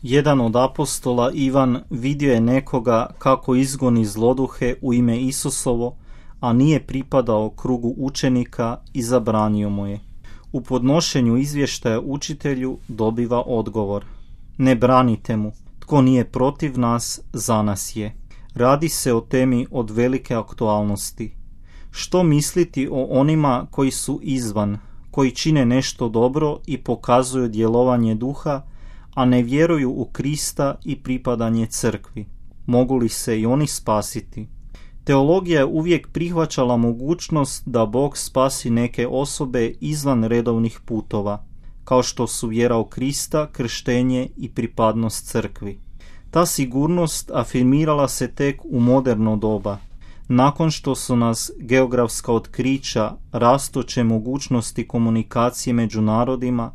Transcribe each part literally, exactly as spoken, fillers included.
Jedan od apostola, Ivan, vidio je nekoga kako izgoni zloduhe u ime Isusovo, a nije pripadao krugu učenika i zabranio mu je. U podnošenju izvještaja učitelju dobiva odgovor: ne branite mu, tko nije protiv nas, za nas je. Radi se o temi od velike aktualnosti. Što misliti o onima koji su izvan, koji čine nešto dobro i pokazuju djelovanje duha, a ne vjeruju u Krista i pripadanje crkvi? Mogu li se i oni spasiti? Teologija je uvijek prihvaćala mogućnost da Bog spasi neke osobe izvan redovnih putova, kao što su vjera u Krista, krštenje i pripadnost crkvi. Ta sigurnost afirmirala se tek u moderno doba, nakon što su nas geografska otkrića, rastuće mogućnosti komunikacije među narodima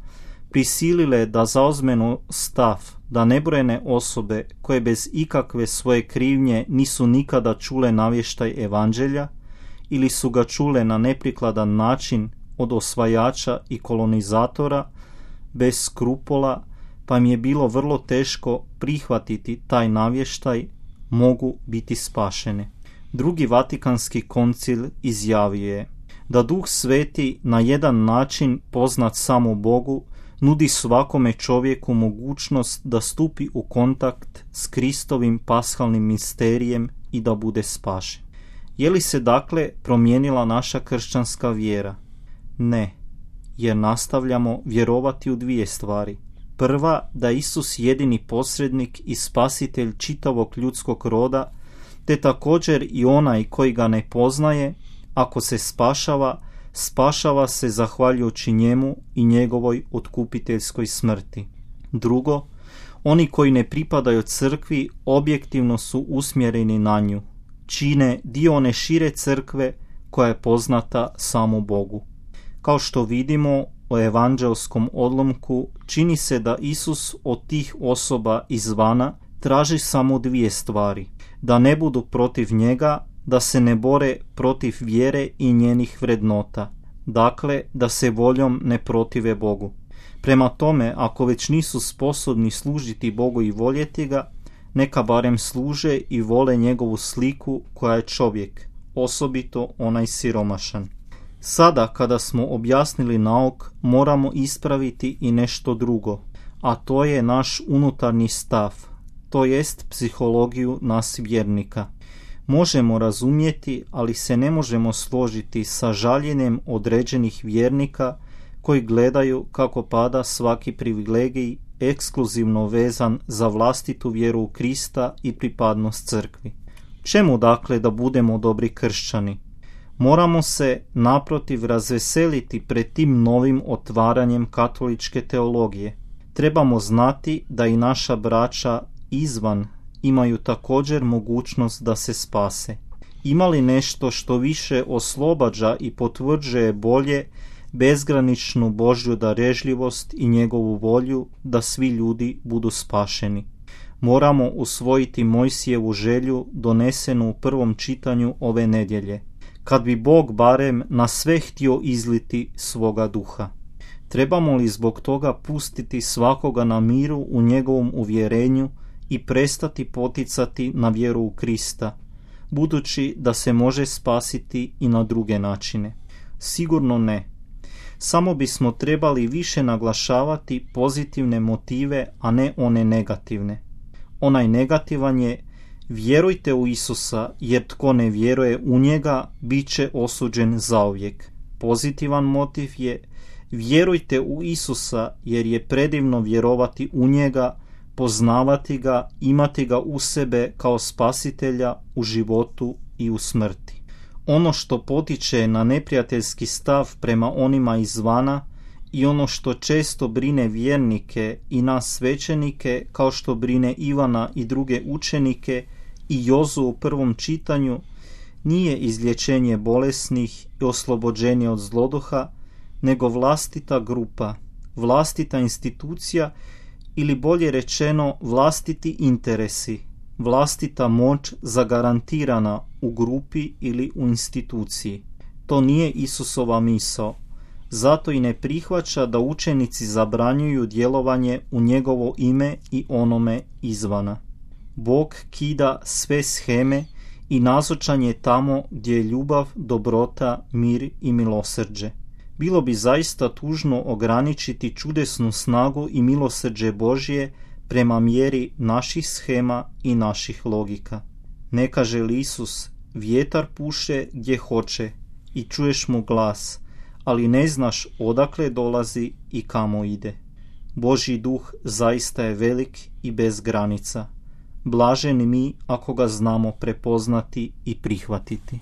prisilile da zauzmemo stav da nebrojene osobe koje bez ikakve svoje krivnje nisu nikada čule navještaj evanđelja ili su ga čule na neprikladan način od osvajača i kolonizatora bez skrupola, pa im je bilo vrlo teško prihvatiti taj navještaj, mogu biti spašene. Drugi Vatikanski koncil izjavio je da Duh Sveti na jedan način poznat samo Bogu nudi svakome čovjeku mogućnost da stupi u kontakt s Kristovim pashalnim misterijem i da bude spašen. Je li se dakle promijenila naša kršćanska vjera? Ne, jer nastavljamo vjerovati u dvije stvari. Prva, da je Isus jedini posrednik i spasitelj čitavog ljudskog roda, te također i onaj koji ga ne poznaje, ako se spašava, spašava se zahvaljujući njemu i njegovoj otkupiteljskoj smrti. Drugo, oni koji ne pripadaju crkvi objektivno su usmjereni na nju, čine dio one šire crkve koja je poznata samo Bogu. Kao što vidimo u evanđelskom odlomku, čini se da Isus od tih osoba izvana traži samo dvije stvari: da ne budu protiv njega, da se ne bore protiv vjere i njenih vrednota, dakle da se voljom ne protive Bogu. Prema tome, ako već nisu sposobni služiti Bogu i voljeti ga, neka barem služe i vole njegovu sliku koja je čovjek, osobito onaj siromašan. Sada kada smo objasnili nauk, moramo ispraviti i nešto drugo, a to je naš unutarnji stav, to jest psihologiju nas vjernika. Možemo razumjeti, ali se ne možemo složiti sa žaljenjem određenih vjernika koji gledaju kako pada svaki privilegij ekskluzivno vezan za vlastitu vjeru u Krista i pripadnost crkvi. Čemu dakle da budemo dobri kršćani? Moramo se naprotiv razveseliti pred tim novim otvaranjem katoličke teologije. Trebamo znati da i naša braća izvan imaju također mogućnost da se spase. Ima li nešto što više oslobađa i potvrđuje bolje bezgraničnu Božju darežljivost i njegovu volju da svi ljudi budu spašeni? Moramo usvojiti Mojsijevu želju donesenu u prvom čitanju ove nedjelje. Kad bi Bog barem na sve htio izliti svoga duha. Trebamo li zbog toga pustiti svakoga na miru u njegovom uvjerenju i prestati poticati na vjeru u Krista, budući da se može spasiti i na druge načine? Sigurno ne. Samo bismo trebali više naglašavati pozitivne motive, a ne one negativne. Onaj negativan je: vjerujte u Isusa, jer tko ne vjeruje u njega bit će osuđen zauvijek. Pozitivan motiv je: vjerujte u Isusa, jer je predivno vjerovati u njega, poznavati ga, imati ga u sebe kao spasitelja u životu i u smrti. Ono što potiče na neprijateljski stav prema onima izvana i ono što često brine vjernike i nas svećenike, kao što brine Ivana i druge učenike i Jozu u prvom čitanju, nije izlječenje bolesnih i oslobođenje od zloduha, nego vlastita grupa, vlastita institucija ili bolje rečeno vlastiti interesi, vlastita moć zagarantirana u grupi ili u instituciji. To nije Isusova misao. Zato i ne prihvaća da učenici zabranjuju djelovanje u njegovo ime i onome izvana. Bog kida sve sheme i nazočan je tamo gdje je ljubav, dobrota, mir i milosrđe. Bilo bi zaista tužno ograničiti čudesnu snagu i milosrđe Božje prema mjeri naših shema i naših logika. Ne kaže li Isus, vjetar puše gdje hoće i čuješ mu glas, ali ne znaš odakle dolazi i kamo ide. Božji duh zaista je velik i bez granica. Blaženi mi ako ga znamo prepoznati i prihvatiti.